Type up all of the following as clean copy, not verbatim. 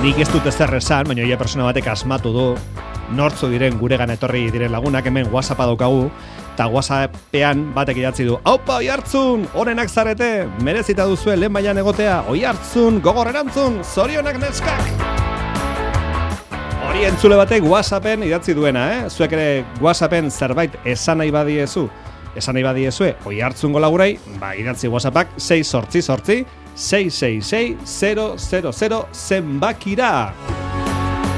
Nik ez dut ezer esan, baina ia persona batek asmatu du nortzu diren guregan etorri diren lagunak, hemen WhatsAppa daukagu, eta WhatsAppean batek idatzi du, aupa, Oiartzun, onenak zarete, merezita duzue lehen mailan egotea, Oiartzun, gogor erantzun, zorionak neskak! Hori entzule batek WhatsAppen idatzi duena, Zuek ere WhatsAppen zerbait esan nahi badiezue, Oiartzungo lagurai, idatzi WhatsAppak 688-666-000 zenbakira.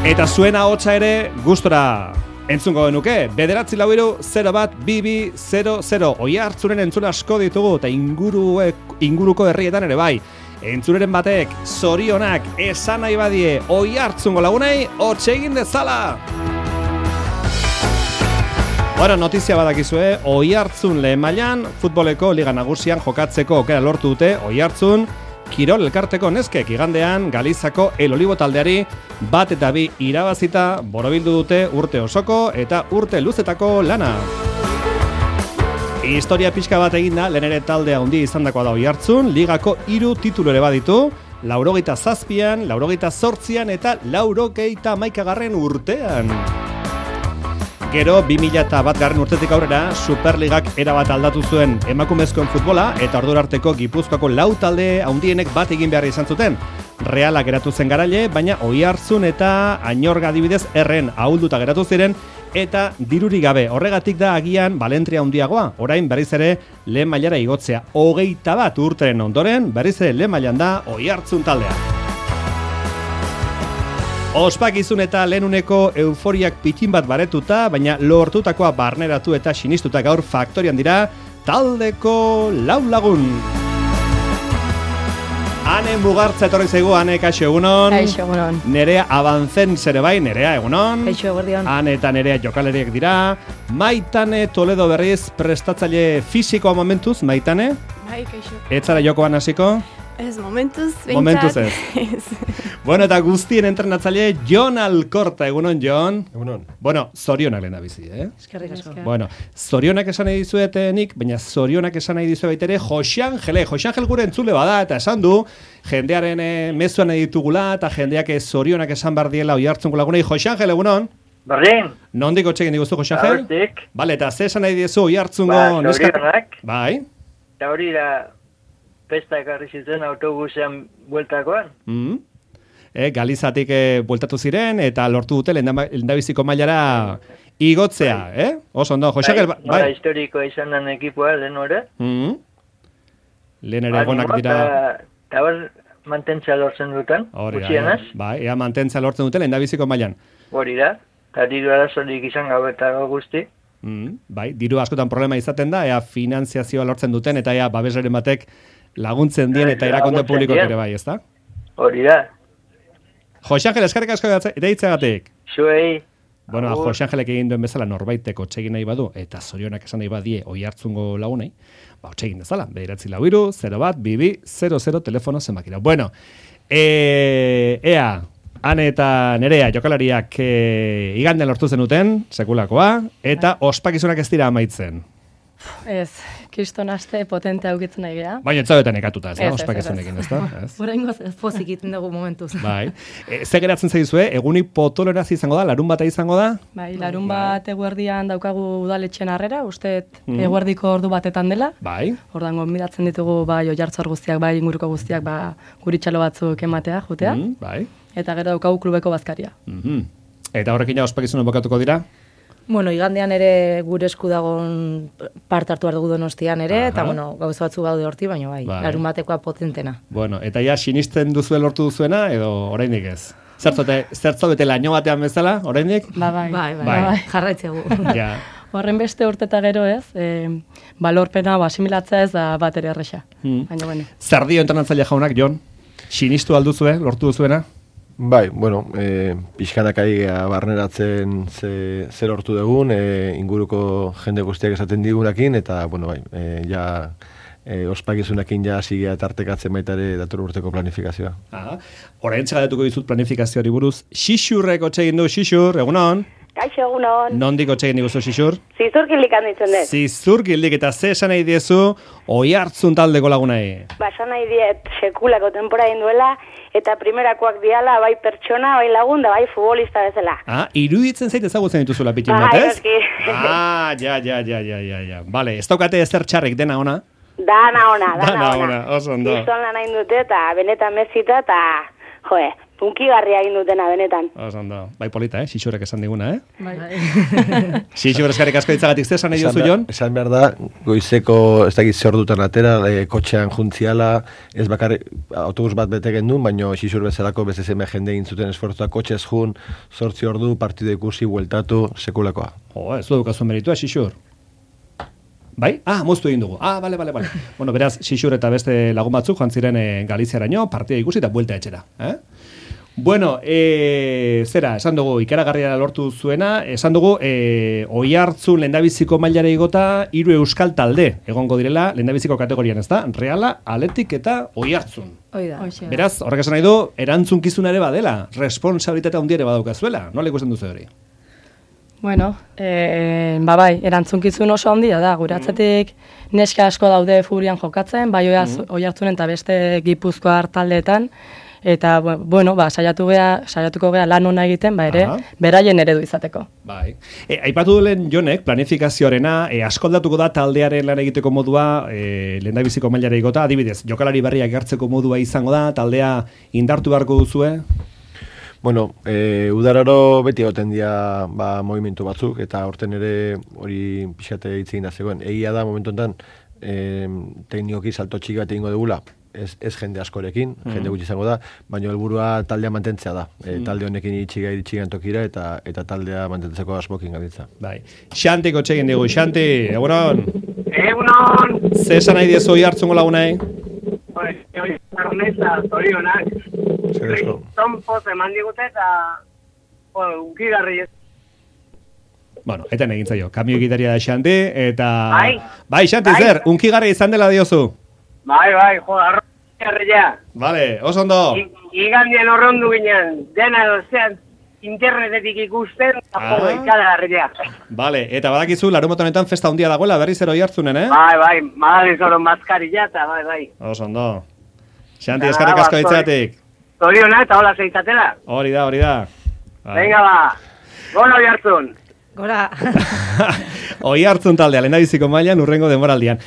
Eta zuen ahotsa ere gustora entzungo genuke, 943-01200. Oiartzunen entzule asko ditugu, eta inguruko herrietan ere bai. Entzuleren batek zorionak esan nahi badie Oiartzungo lagunei, hotxe egin dezala! Bueno, notizia badakizue, Oiartzun lehen mailan futboleko liga nagusian jokatzeko aukera lortu dute Oiartzun Kirol elkarteko neskek igandean Galizako El Olivo taldeari 1-2 irabazita borobildu dute urte osoko eta urte luzetako lana. Historia pixka bat eginda, lehen ere taldea handi izandakoa da Oiartzun, ligako 3 titulu ere baditu, 87an, 88an eta 91garren urtean. Gero 2001 urtetik aurrera Superligak erabat aldatu zuen emakumezkoen futbola eta ordura arteko Gipuzkoako 4 talde handienek bat egin behar izan zuten. Realak geratu zen garaile, baina Oiartzun eta Añorga adibidez erren ahulduta geratu ziren eta dirurik gabe. Horregatik da agian balentria handiagoa. Orain berriz ere lehen mailara igotzea. 21 urteren ondoren berriz ere lehen mailan da Oiartzun taldea. Ospakizun eta lehenuneko euforiak pitin bat baretuta, baina lortutakoa barneratu eta sinistuta gaur faktorian dira taldeko 4 lagun. Ane Mugartza etorri zaigu, Ane, kaixo egunon. Kaixo egunon. Nerea Abantzen zere bai, Nerea egunon. Kaixo eguerdion. Ane eta Nerea jokaleriak dira. Maitane Toledo berriz prestatzaile fisikoa momentuz, Maitane. Bai, kaixo. Ez zara jokoan hasiko? Ez, momentuz, behintzat. Momentuz ez. Bueno, eta guztien entrenatzaile Jon Alkorta, egunon, Jon. Egunon. Bueno, zorionak lehen abizi, Eskerrik asko. Bueno, zorionak esan nahi dizuet nik, baina zorionak esan nahi dizuet baitere Jose Angel gure entzule bada, eta esan du, jendearen mezuan nahi ditugula, eta jendeak zorionak esan bar diela Oiartzungo lagunei. Jose Angel, egunon. Berdin. Nondik otxegin diguzu, Jose Angel? Hortik. Bale, eta ze esan nahi diezu Oiartzungo zorionak. Bai. Eta hori da pesta ekarri zuten autobusean bueltakoan. Galizatik bueltatu ziren eta lortu dute lehendabiziko mailara igotzea, Oso ondo, Jose Angel, bai. Nola historikoa izan den ekipoa, lehen hori. Lehen ere egonak dira. Eta hor mantentzea lortzen duten, gutxienez. Bai, ea mantentzea lortzen dute lehendabiziko mailan. Hori da, eta diru arazorik izan gabe eta guzti. Bai, diru askotan problema izaten da, ea finanziazioa lortzen duten, eta ea babesaren batek laguntzen dien eta erakonde publikoak ere bai, ezta? Hori da. Jose Angel, eskerrik asko eta hitzagatik. Zuei. Bueno, Jose Angelek egin duen bezala norbaiteko otsegin nahi badu, eta zorionak esan nahi badie Oiartzungo lagunei, otsegin dezala, 943-022200 telefono zenbakira. Bueno, ea, Ane eta Nerea jokalariak igandean lortu zenuten, sekulakoa, eta ospakizunak ez dira amaitzen. Ez, kriston aste potente aukitzen nahi geha. Baina ez zaudetan ekatuta, ez da, ospakizunekin, ez da? Horaingoz ez pozik iten dugu momentuz. Bai. Ze geratzen zaizue, egunik potoloraz izango da, larun bata izango da? Bai, larun bat eguerdian daukagu udaletxen harrera, uste eguerdiko ordu batetan dela. Bai. Ordan gonbidatzen ditugu bai Oiartzar guztiak, bai inguruko guztiak, guritxalo batzuk ematea, jutea. Bai. Eta gero daukagu klubeko bazkaria. Eta horrekin ja ospakizunen bokatuko dira? Bueno, igandean ere gure esku dagoen parte hartu behar dugu Donostian ere, eta bueno, gauza batzu gaude horti, baina bai, larun batekoa potentena. Bueno, eta ja sinisten duzue lortu duzuena, edo oraindik ez? Zertzo bete laino batean bezala, oraindik? Bai, jarraitzegu. Ja. Horren beste urte eta gero ez, balorpena asimilatzea ez da bat ere erresa. Baina, bueno. Zer dio entrenatzaile jaunak, Jon? Sinistu alduzue, lortu duzuena? Bai, bueno, pixkanak ari barneratzen zer hortu dugun, inguruko jende guztiak esaten digunakin, eta, bueno, bai, ja ospakizunakin ja sigea tartekatzen baita ere dator urteko planifikazioa. Orain txagadetuko dizut planifikazioari buruz. Xixurrek otsegin du, Xixur, egunon? Kaixo, egunon. Nondik otsegin diguzu, Xixur? Zizurgildik handitzen dut. Zizurgildik, eta ze esan nahi diezu Oiartzun taldeko lagunai? Esan nahi diet sekulako temporada duela, eta primerakoak diala, bai pertsona, bai lagun, da bai futbolista bezala. Iruditzen zait ezagutzen dituzula pitin bat, ez? Ja. Vale, ez daukate ezer txarrik, dena ona? Dana ona. Oso ondo. Kriston lan hain dute, eta benetan mezita, eta, punkigarria egin dutena, benetan. Oso ondo. Bai polita, Xixurek esan diguna, Bai. Xixur eskarrik asko itzagatik zesan nahi duzu, Jon? Esan behar da, goizeko, ez dakit zer dutan atera, kotxean juntziala, ez bakarrik autobus bat bete gendun, baina Xixur bezalako beste zeme jende egin zuten esfortzua, kotxez jun, 8 ordu, partido ikusi, bueltatu, sekulakoa. Ez du dukazu meritua, Xixur. Bai? Moztu egin dugu. Bale. Bueno, beraz, Xixur eta beste lagun batzuk joan ziren Galiziaraino, partida ikusi eta buelta etxera. Bueno, zera, esan dugu, ikaragarria lortu zuena, esan dugu, Oiartzun lehendabiziko mailara igota 3 euskal talde egongo direla lehendabiziko kategorian, ez da? Reala, Athletic eta Oiartzun. Beraz, horrek esan nahi du, erantzunkizuna ere badela, responsabilitatea handia ere badaukazuela. Nola ikusten duzu hori? Bueno, bai, erantzunkizun oso handia da, gure atzetik neska asko daude furian jokatzen, bai Oiartzunen eta beste Gipuzkoar taldeetan, eta, bueno, saiatuko gea lan ona egiten, ere, beraien eredu izateko. Bai. Aipatu duen Jonek, planifikazioarena, askoldatuko da taldearen lan egiteko modua, lehendabiziko mailara igota, adibidez, jokalari berriak hartzeko modua izango da, taldea indartu beharko duzue? Bueno, udararo beti egoten dira movimentu batzuk, eta horten ere hori pixate hitzegin da zegoen. Egia da, momentu enten, teknikoki salto txiki bat egingo dugula, ez jende askorekin, jende gutxi izango da, baina helburua taldea mantentzea da. Talde honekin itxigan tokira eta taldea mantentzeko asmokin gabiltza. Bai. Xantiko txegin dugu, Xanti, egunon? Egunon! Ze esan nahi diezu Oiartzungo lagunei? Arneza, zorionak. Kriston poz eman digute eta unkigarri ez. Bueno, eten egin zaio, kamio egitaria da Xanti, eta... Bai, Xanti, zer, unkigarri izan dela diozu? Bai, arroiarria. Vale, oso ondo. Igandien horrondu ginen, dena dozean internetetik ikusten, eta ikaragarria. Vale, eta badakizu, larumotan honetan festa handia dagoela, berriz ero Oiartzunen, Bai, madaliz oro maskarilla eta bai. Oso ondo. Xanti, eskarrik asko ditzatik. Zoriona eta hola zeitzatela. Hori da. Venga gora Oiartzun. Gora. Oiartzun taldea, lehendabiziko mailan urrengo denboraldian.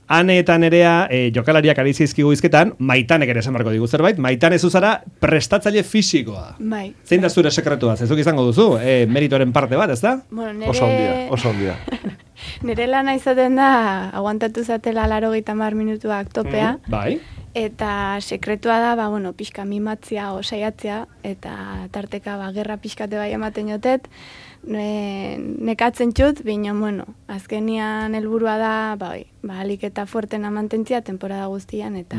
Ane eta Nerea jokalariak ari zizkigu izketan, Maitanek ere esan barko digu zerbait, Maitane zuzara prestatzaile fisikoa. Bai. Zein da zure sekretua? Zezuk izango duzu, meritoren parte bat, ez da? Bueno, Oso ondia. Nere lana izaten da, aguantatu zatela 80 minutuak topea. Bai. Eta sekretua da, pixka mimatzia o saiatzea, eta tarteka gerra pixkate bai ematen jotet, nekatzen txut, baina, azkenian helburua da, alik eta fuertena mantentzia temporada guztian, eta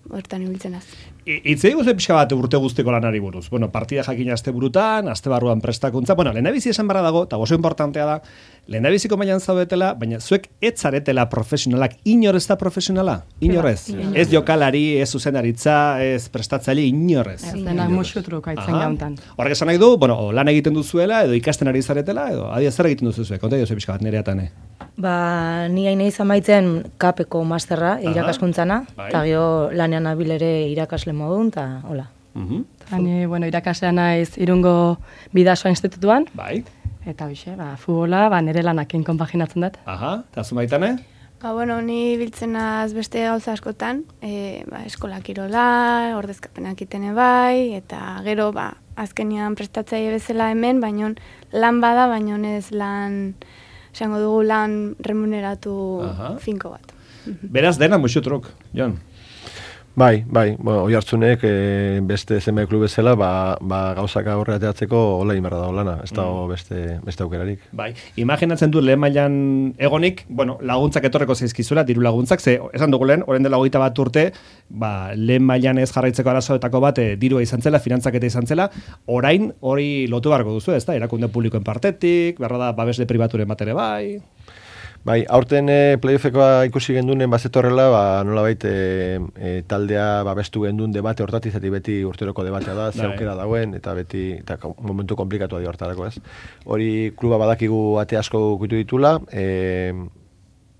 hortan ibiltzen az. Itzei guze pixka bat urte guztiko lanari buruz. Partida jakin aste burutan, aste barruan prestakuntza. Lehendabizi esan barra dago, eta oso importantea da, lehendabiziko mailan zaudetela, baina zuek ez zaretela profesionalak. Inor ez da profesionala? Inorez? Ez jokalari, ez zuzendaritza, ez prestatzaile, inorez. Ez denak musutruk aitzen jauntan. Horrek esan nahi du, lan egiten duzuela, edo ikasten ari zaretela, edo adia zer egiten duzu zuek? Konta duzu pixka bat Nereatane. Ni hain izan baitzen kapeko masterra, irakaskuntzana, eta gero lanean abil ere irakasle modun, eta hola. Irakaslean naiz Irungo Bidasoa institutuan, eta futbola, nire lanakin konpaginatzen dut. Eta zu Maitane? Ni biltzenaz beste gauza askotan, eskola kirola, ordezkapenak itene bai, eta gero, azkenian prestatzaile bezala hemen, baino lan bada, baino ez lan... Esango dugu lan remuneratu finko bat. Beraz, dena musutruk, Jon? Bai, Oiartzunek beste zenbait klub bezala, gauzak aurre ateatzeko hola inberra da lana, ez dago beste aukerarik. Bai, imaginatzen du lehen mailan egonik, laguntzak etorreko zaizkizula, diru laguntzak, ze esan dugu lehen, orain dela 21 urte, lehen mailan ez jarraitzeko arazoetako bat dirua izan zela, finantzaketa izan zela, orain hori lotu beharko duzu, ez da, erakunde publikoen partetik, berra da, babesle pribaturen bat ere bai... Bai, aurten playoffekoa ikusi gendunen bazetorrela, nolabait taldea babestu gendun debate hortati, zati beti urteroko debatea da, ze aukera dagoen, eta beti momentu komplikatu da hortarako, ez? Hori kluba badakigu ate asko kutu ditula,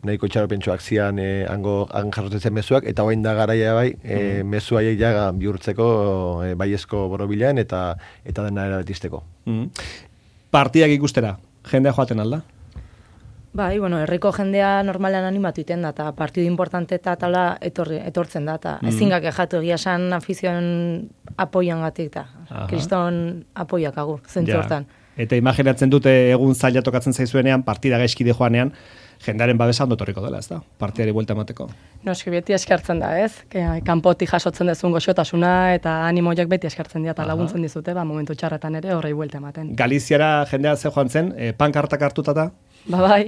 nahiko itxaropentsuak zian hango jasotzen zen mezuak, eta orain da garaia bai, mezu haiek ja bihurtzeko baiezko borobilean eta dena erabetisteko. Partidak ikustera, jendea joaten alda? Bai, bueno, herriko jendea normalean animatu iten da, eta partidu importante eta tala etortzen da, eta ezingak ejatu egia esan afizion apoian gatik, eta kriston apoiak agur, zentzu hortan. Eta imaginatzen dute egun zaila tokatzen zaizuenean, partida gaizkide joanean, jendearen babesa ondo torriko dela, ez da? Partiari buelta emateko. Noski, beti eskartzen da, ez? Kanpotik jasotzen dezun goxotasuna eta animoiak beti eskartzen dira, eta laguntzen dizute, momentu txarretan ere horrei buelta ematen. Galiziara jendea ze joan zen, pankartak hartutata? Bai.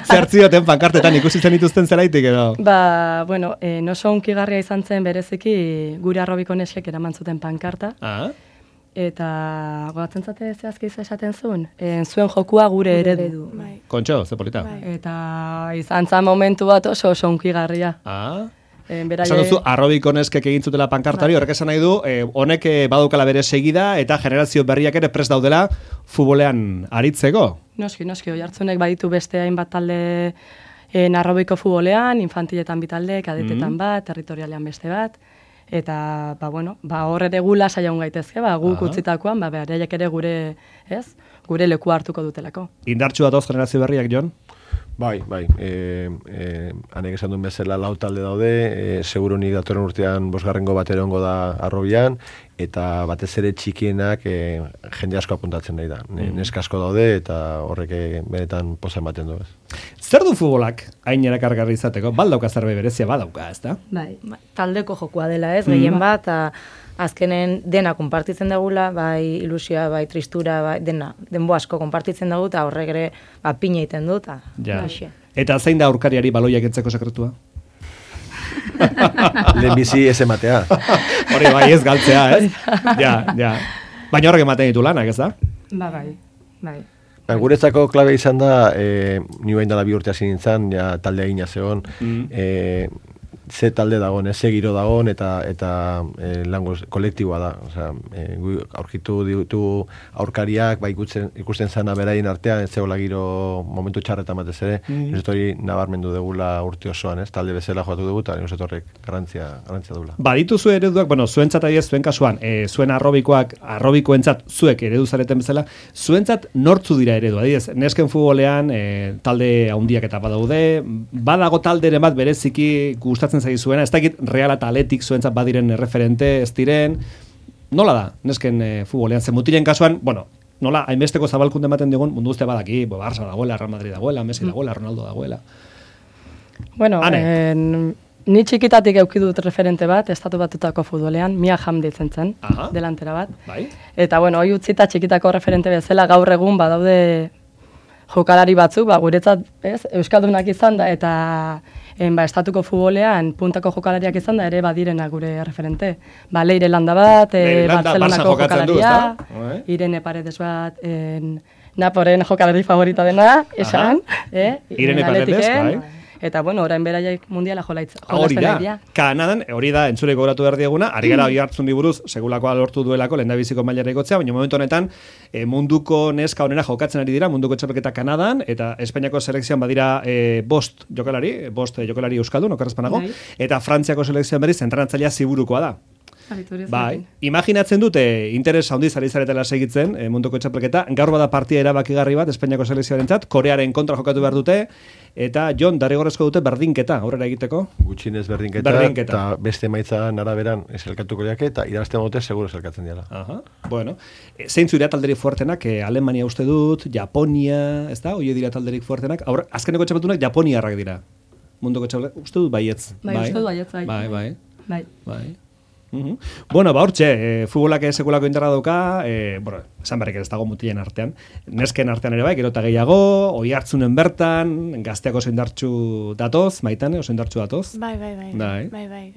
Zertzioten pankartetan ikusi zen dituzten zelaitik edo? Bueno, oso hunkigarria izan zen bereziki gure arrobiko neskek eraman zuten pankarta. Eta gogatzen zate zehazki esaten zuen, zuen jokua gure eredu. Kontxo, ze polita. Eta izan zen momentu bat oso hunkigarria. Esan duzu, arrobiko neskek egin zutela pankartari, horrek esan nahi du, honek badaukala bere segida eta generazio berriak ere prest daudela futbolean aritzeko. Noski, Oiartzunek baditu beste hainbat talde arrobiko futbolean, infantiletan bitalde, kadetetan bat, territorialean beste bat, eta, horre regula saiagun gaitezke, guk utzitakoan, bereiek ere gure leku hartuko dutelako. Indartsu datoz generazio berriak, Jon? Bai. Hanek esan duen bezala lau talde daude, seguro nik datorren urtean 5. bat erongo da arrobian, eta batez ere txikienak jende asko apuntatzen nahi da. Neska asko daude eta horrek benetan poza ematen du. Zer du futbolak hain erakargarri izateko? Baldauka zerbait berezia badauka, ezta? Bai, taldeko jokua dela, ez? Gehien bat, azkenen dena konpartitzen dagula, bai ilusioa, bai tristura, bai denbo asko konpartitzen dago, eta horrek ere pina egiten dut. Eta zein da aurkariari baloiak entzeko sekretua? Lehenbizi ez ematea. Hori bai ez galtzea, ez? Ja. Baina horrek ematen ditu lanak, ez da? Bai. Guretzako klabe izan da, ni bain dela 2 urte hasi nintzen, talde egina zegoen, ze talde dagoen, ze giro dagoen, eta langoz kolektiboa da. Aurkitu ditu aurkariak, ikusten zana beraien artean, ez zegoela giro momentu txarretan batez ere, ez hori nabarmendu degula urte osoan, talde bezala joatu dugu, eta ez horrek garrantzia dugula. Baditu zu ereduak, zuentzat adiez, zuen kasuan, zuen arrobikoentzat zuek eredu zareten bezala, zuentzat nortzu dira eredu, adiez, nesken futbolean talde handiak eta badaude, badago talderen bat bereziki gustatzen zaizuena, ez dakit Real eta Atletik zuentzat badiren referente, ez diren, nola da, nesken futbolean, zen mutilen kasuan, nola, hainbesteko zabalkunde ematen digun, mundu guztia badaki, Barça dagoela, Real Madrid dagoela, Messi dagoela, Ronaldo dagoela. Ni txikitatik eukidut referente bat, estatu batutako futbolean, Mia Hamm ditzen zen, delantera bat. Eta, hoi utzita txikitako referente bezala, gaur egun badaude jokalari batzuk, guretzat, euskaldunak izan da, eta estatuko futbolean puntako jokalariak izan da, ere badirena gure referente. Leire Landa bat, Barcelonako jokalaria, Irene Paredes bat, Naporen jokalari favorita dena, esan, Irene Paredes, bai. Eta, orain beraiek mundiala jolatzen. Hori da, Kanadan, hori da, entzule gogoratu behar dieguna, ari gara Oiartzun buruz segulakoa lortu duelako, lehendabiziko mailera ikotzea, baina momentu honetan, munduko neska honena jokatzen ari dira, munduko txapelketa Kanadan, eta Espainiako selekzioan badira 5 jokalari euskaldun, okerrezpanago, eta Frantziako selekzioan berriz, entrenatzailea Ziburukoa da. Bai, imaginatzen dute interes handiz ari zaretela segitzen munduko txapelketa, gaur bada partida erabakigarri bat Espainiako selekzioarentzat, Korearen kontra jokatu behar dute, eta Jon, derrigorrezko dute berdinketa, aurrera egiteko? Gutxinez berdinketa. Eta beste emaitzan araberan elkartuko diake, eta irabazten dute seguro elkartzen diala. Zeintzu dira talderik fuertenak, Alemania uste dut, Japonia, ez da? Oie dira talderik fuertenak, azkeneko txapeltunak Japoniarrak dira. Munduko txapelketa, uste dut baietz. Uste dut baietz, bai. Hortxe, futbolak sekulako indarra dauka, esan berrik ez dago mutilen artean, nesken artean ere bai, gero eta gehiago, Oiartzunen bertan, gazteak oso indartsu datoz, Maitane, oso indartsu datoz? Bai.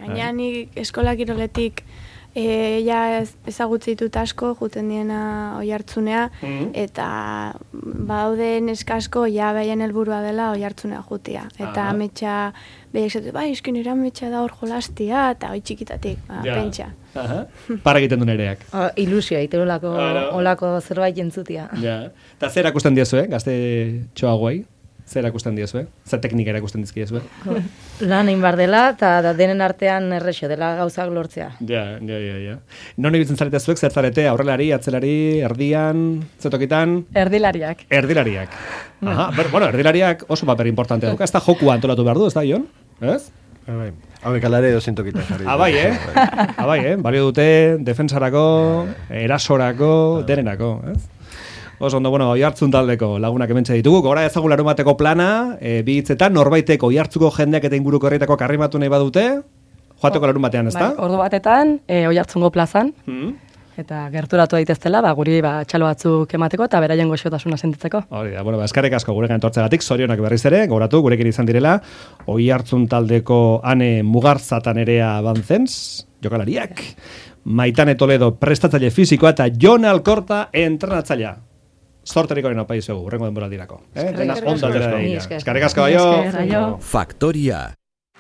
Gaina nik eskola kiroletik ezagutzi ditut asko, juten diena Oiartzunea, eta baude neska asko, behaien helburua dela Oiartzunea jutia. Eta ametsa, behiek zatu, eskin ametsa da hor jolastia, eta hoi txikitatik, pentsa. Para egiten du nereak. Ilusioa, olako zerbait jentzutia. Eta zer akusten diozu, gazte txoagoai? Zer erakusten diezue? Zer teknika erakusten dizkiezue? Lan egin bar dela, eta denen artean errexo dela gauzak lortzea. Ja. Non ibiltzen zarete zuek, zer zarete, aurrelari, atzelari, erdian, zetokitan? Erdilariak. Erdilariak. Aha, bueno, erdilariak oso paper importante dauka. Ez da jokua antolatu behar du, ez da, Jon? Ez? Hauek alare dozintokitan jarri. Abai, balio dute, defensarako, erasorako, derenako, ez? Oso ondo, bueno, Oihartzun taldeko lagunak hementxe ditugu. Gora ezagun larunbateko plana, bi hitzetan, norbaiteko Oihartzuko jendeak eta inguruko herrietako arrimatu nahi badute, joateko larunbatean, ezta? Ordu batetan, Oihartzungo plazan, eta gerturatu daiteztela, guri txalo batzuk emateko eta beraien goxotasuna sentitzeko. Hori da, bueno, eskerrik asko gurekin etortzegatik, zorionak berriz ere, gogoratu gurekin izan direla, Oihartzun taldeko Ane Mugarzata Nerea Bantzens, jokalariak, Maitane Toledo prestatzaile fisikoa eta Jon Alkorta entrenatzailea. Zorteriko hori opa izugu, urrengo denboraldirako. Eskerrik asko. Eskerrik asko, aio. Faktoria.